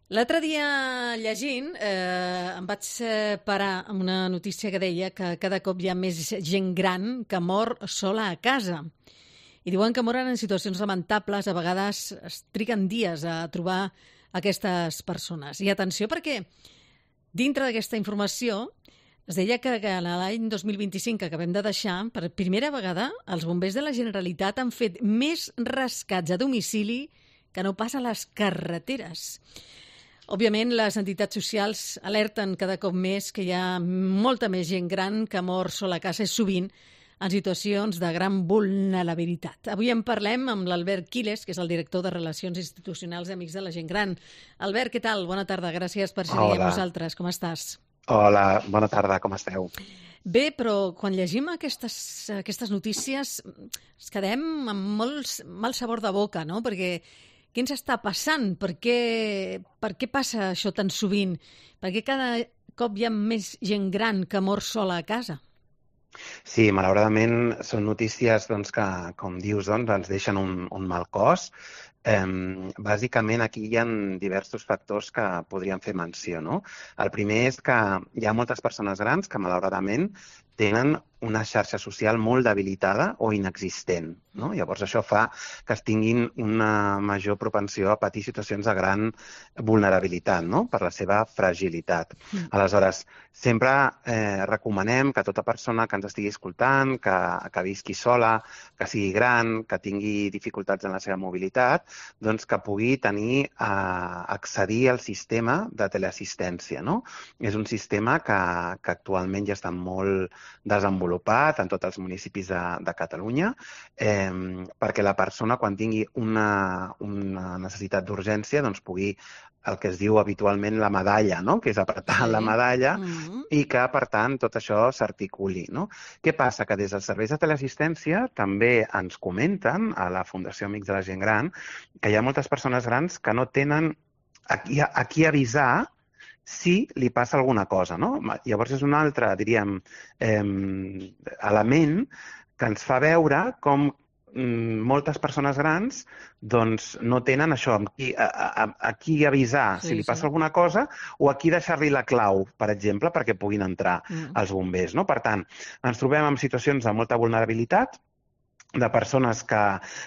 L'altre dia, llegint, em vaig parar amb una notícia que deia que cada cop hi ha més gent gran que mor sola a casa. I diuen que moren en situacions lamentables, a vegades es triguen dies a trobar aquestes persones. I atenció perquè dintre d'aquesta informació es deia que en l'any 2025 que acabem de deixar, per primera vegada, els bombers de la Generalitat han fet més rescats a domicili que no pas a les carreteres. Òbviament, les entitats socials alerten cada cop més que hi ha molta més gent gran que mor sola a casa i sovint en situacions de gran vulnerabilitat. Avui en parlem amb l'Albert Quiles, que és el director de Relacions Institucionals d'Amics de la Gent Gran. Albert, què tal? Bona tarda, gràcies per ser amb nosaltres. Com estàs? Hola, bona tarda, com esteu? Bé, però quan llegim aquestes notícies ens quedem amb molt mal sabor de boca, no? Perquè què ens està passant? Per què passa això tan sovint? Per què cada cop hi ha més gent gran que mor sola a casa? Sí, malauradament són notícies que, com dius, ens deixen un mal cos. Bàsicament aquí hi ha diversos factors que podríem fer menció, no? El primer és que hi ha moltes persones grans que malauradament tenen una xarxa social molt debilitada o inexistent, no? Llavors això fa que es tinguin una major propensió a patir situacions de gran vulnerabilitat, no? Per la seva fragilitat. Aleshores, sempre recomanem que tota persona que ens estigui escoltant, que visqui sola, que sigui gran, que tingui dificultats en la seva mobilitat, doncs que pugui tenir accedir al sistema de teleassistència, no? És un sistema que actualment ja està molt desenvolupat en tots els municipis de Catalunya, perquè la persona, quan tingui una necessitat d'urgència, doncs pugui el que es diu habitualment la medalla, no? Que és apretar la medalla i que, per tant, tot això s'articuli, no? Què passa? Que des dels serveis de teleassistència també ens comenten a la Fundació Amics de la Gent Gran que hi ha moltes persones grans que no tenen a qui avisar si li passa alguna cosa, no? Llavors és un altre, diríem, element que ens fa veure com moltes persones grans doncs no tenen això, a qui avisar si li passa alguna cosa o a qui deixar-li la clau, per exemple, perquè puguin entrar els bombers, no? Per tant, ens trobem en situacions de molta vulnerabilitat, de persones que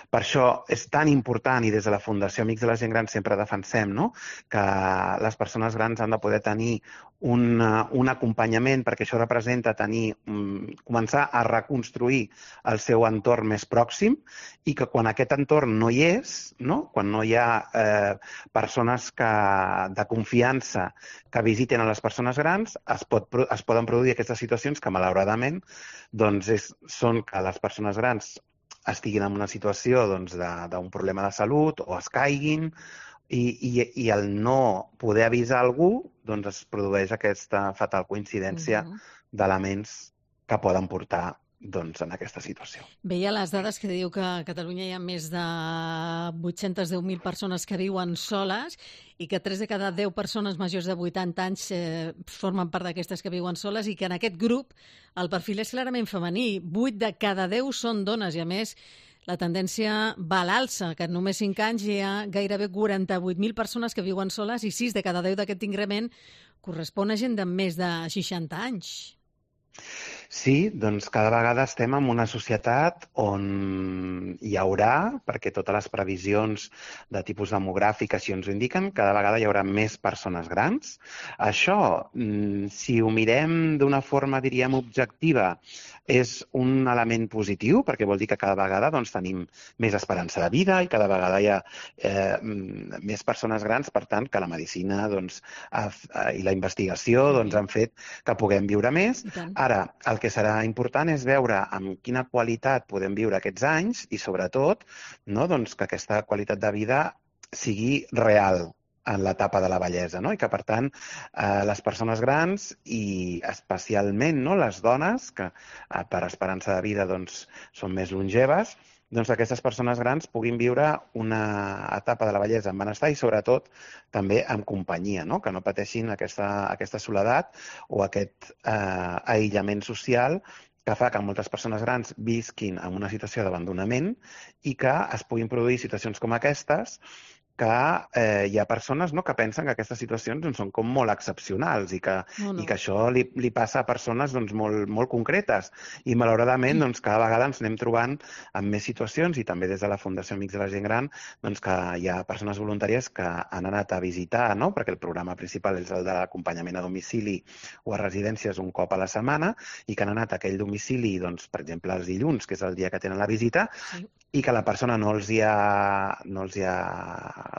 per això és tan important i des de la Fundació Amics de la Gent Gran sempre defensem, no? Que les persones grans han de poder tenir un acompanyament, perquè això representa començar a reconstruir el seu entorn més pròxim i que quan aquest entorn no hi és, no? Quan no hi ha persones de confiança que visiten a les persones grans, es poden produir aquestes situacions que malauradament són que les persones grans estiguin en una situació d'un problema de salut o es caiguin i al no poder avisar algú es produeix aquesta fatal coincidència d'elements que poden portar en aquesta situació. Veia les dades que diu que a Catalunya hi ha més de 810.000 persones que viuen soles i que 3 de cada 10 persones majors de 80 anys formen part d'aquestes que viuen soles i que en aquest grup el perfil és clarament femení. 8 de cada 10 són dones i, a més, la tendència va a l'alça, que en només 5 anys hi ha gairebé 48.000 persones que viuen soles i 6 de cada 10 d'aquest increment correspon a gent de més de 60 anys. Sí, doncs cada vegada estem en una societat on hi haurà, perquè totes les previsions de tipus demogràfic així ens ho indiquen, cada vegada hi haurà més persones grans. Això, si ho mirem d'una forma, diríem, objectiva, és un element positiu, perquè vol dir que cada vegada tenim més esperança de vida i cada vegada hi ha més persones grans, per tant, que la medicina i la investigació han fet que puguem viure més. Ara, el que serà important és veure amb quina qualitat podem viure aquests anys i, sobretot, que aquesta qualitat de vida sigui real en l'etapa de la vellesa, no? I que, per tant, les persones grans i especialment les dones, que per esperança de vida són més longeves, aquestes persones grans puguin viure una etapa de la vellesa amb benestar i, sobretot, també amb companyia, no? Que no pateixin aquesta soledat o aquest aïllament social que fa que moltes persones grans visquin en una situació d'abandonament i que es puguin produir situacions com aquestes que hi ha persones, no, que pensen que aquestes situacions doncs, són com molt excepcionals i que això li passa a persones doncs, molt concretes. I malauradament doncs, cada vegada ens anem trobant amb més situacions i també des de la Fundació Amics de la Gent Gran doncs, que hi ha persones voluntàries que han anat a visitar, no? Perquè el programa principal és el d'acompanyament a domicili o a residències un cop a la setmana i que han anat a aquell domicili, doncs, per exemple, els dilluns, que és el dia que tenen la visita, i que la persona no els hi ha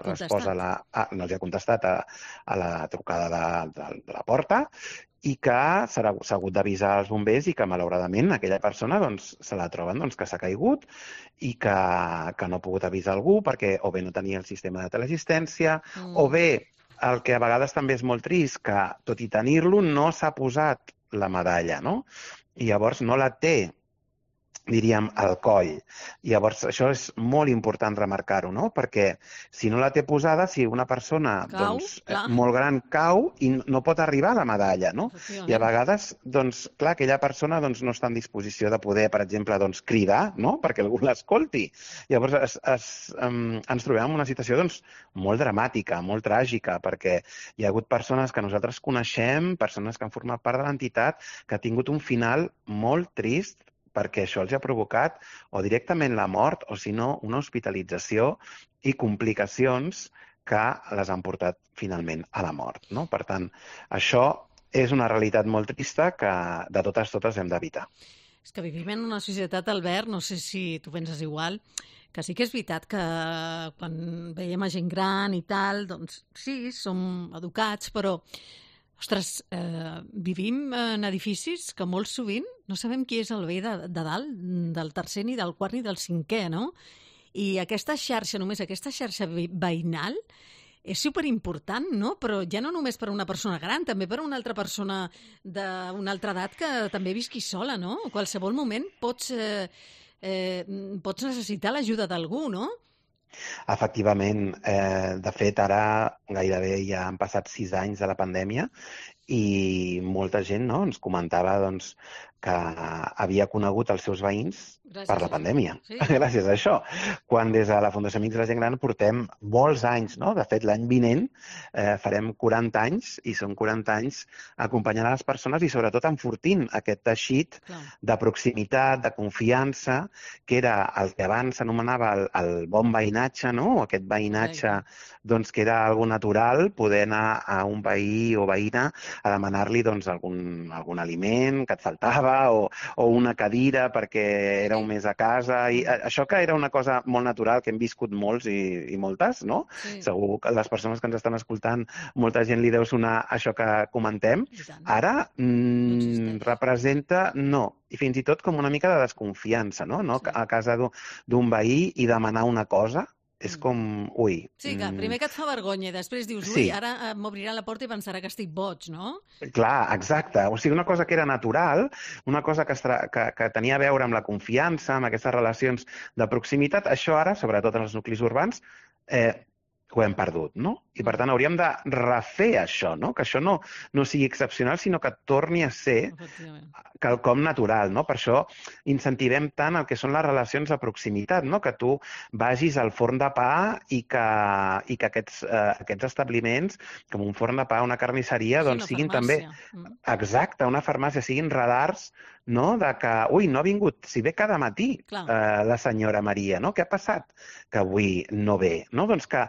respost no els hi ha contestat a la trucada de la porta i que s'ha hagut d'avisar als bombers i que malauradament aquella persona doncs, se la troben doncs, que s'ha caigut i que no ha pogut avisar algú perquè o bé no tenia el sistema de teleassistència o bé el que a vegades també és molt trist, que tot i tenir-lo no s'ha posat la medalla, no? I llavors no la té, diríem, al coll. Llavors, això és molt important remarcar-ho, no? Perquè si no la té posada, si una persona molt gran cau i no pot arribar a la medalla, no? I a vegades, doncs, clar, aquella persona doncs, no està en disposició de poder, per exemple, doncs, cridar, no? Perquè algú l'escolti. Llavors, ens trobem en una situació doncs, molt dramàtica, molt tràgica, perquè hi ha hagut persones que nosaltres coneixem, persones que han format part de l'entitat, que ha tingut un final molt trist perquè això els ha provocat o directament la mort o, si no, una hospitalització i complicacions que les han portat finalment a la mort, no? Per tant, això és una realitat molt trista que de totes hem d'evitar. És que vivim en una societat, Albert, no sé si tu penses igual, que sí que és veritat que quan veiem a gent gran i tal, doncs sí, som educats, però ostres, vivim en edificis que molt sovint no sabem qui és el veí de dalt, del tercer, ni del quart, ni del cinquè, no? I aquesta xarxa, només aquesta xarxa veïnal, és superimportant, no? Però ja no només per a una persona gran, també per a una altra persona d'una altra edat que també visqui sola, no? A qualsevol moment pots necessitar l'ajuda d'algú, no? Efectivament, de fet, ara gairebé ja han passat 6 anys de la pandèmia i molta gent ens comentava que havia conegut els seus veïns per la pandèmia, gràcies a això. Quan des de la Fundació Amics de la Gent Gran portem molts anys, no? De fet, l'any vinent farem 40 anys i són 40 anys acompanyant a les persones i sobretot enfortint aquest teixit de proximitat, de confiança, que era el que abans s'anomenava el bon veïnatge, no? Aquest veïnatge que era algo natural, poder anar a un veí o veïna a demanar-li algun aliment que et faltava o una cadira perquè éreu més a casa. I això que era una cosa molt natural que hem viscut molts i moltes, no? Segur que les persones que ens estan escoltant, molta gent li deu sonar això que comentem. Ara representa, no, i fins i tot com una mica de desconfiança, no? A casa d'un veí i demanar una cosa és com, ui... Sí, que primer que et fa vergonya i després dius, ui, ara m'obrirà la porta i pensarà que estic boig, no? Clar, exacte. O sigui, una cosa que era natural, una cosa que tenia a veure amb la confiança, amb aquestes relacions de proximitat, això ara, sobretot en els nuclis urbans, ho hem perdut, no? I per tant hauríem de refer això, no? Que això no sigui excepcional, sinó que torni a ser quelcom natural, no? Per això incentivem tant el que són les relacions de proximitat, no? Que tu vagis al forn de pa i que aquests establiments, com un forn de pa, una carnisseria, doncs siguin també... Exacte, una farmàcia, siguin radars, no? De que, ui, no ha vingut, si ve cada matí la senyora Maria, no? Què ha passat? Que avui no ve, no? Doncs que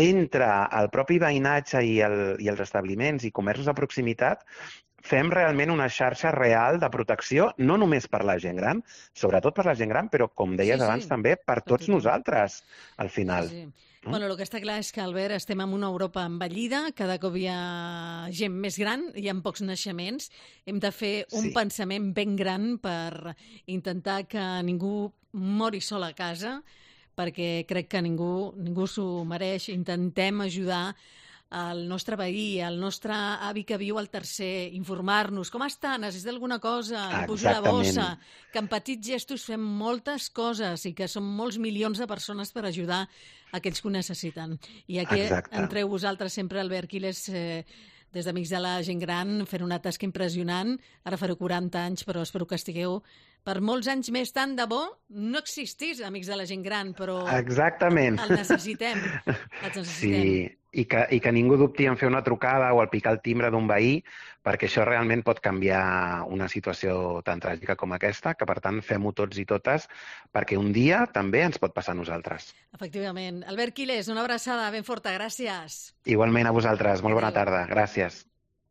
entre el propi veïnatge i els establiments i comerços de proximitat fem realment una xarxa real de protecció, no només per la gent gran, sobretot per la gent gran, però, com deies abans, també per tots nosaltres, al final. Bueno, el que està clar és que, Albert, estem en una Europa envellida, cada cop hi ha gent més gran, hi ha pocs naixements, hem de fer un pensament ben gran per intentar que ningú mori sol a casa, perquè crec que ningú s'ho mereix. Intentem ajudar el nostre veí, el nostre avi que viu al tercer, informar-nos. Com està? Necessita alguna cosa? Li pujo la bossa. Que amb petits gestos fem moltes coses i que som molts milions de persones per ajudar aquells que ho necessiten. I aquí entreu vosaltres sempre, Albert Quiles, des d'Amics de la Gent Gran, fent una tasca impressionant. Ara fareu 40 anys, però espero que estigueu per molts anys més, tant de bo no existís Amics de la Gent Gran, però Exactament. el necessitem. Els necessitem. Sí, i que ningú dubti en fer una trucada o al picar el timbre d'un veí, perquè això realment pot canviar una situació tan tràgica com aquesta, que per tant fem-ho tots i totes, perquè un dia també ens pot passar a nosaltres. Efectivament. Albert Quiles, una abraçada ben forta, gràcies. Igualment a vosaltres, molt bona tarda, gràcies.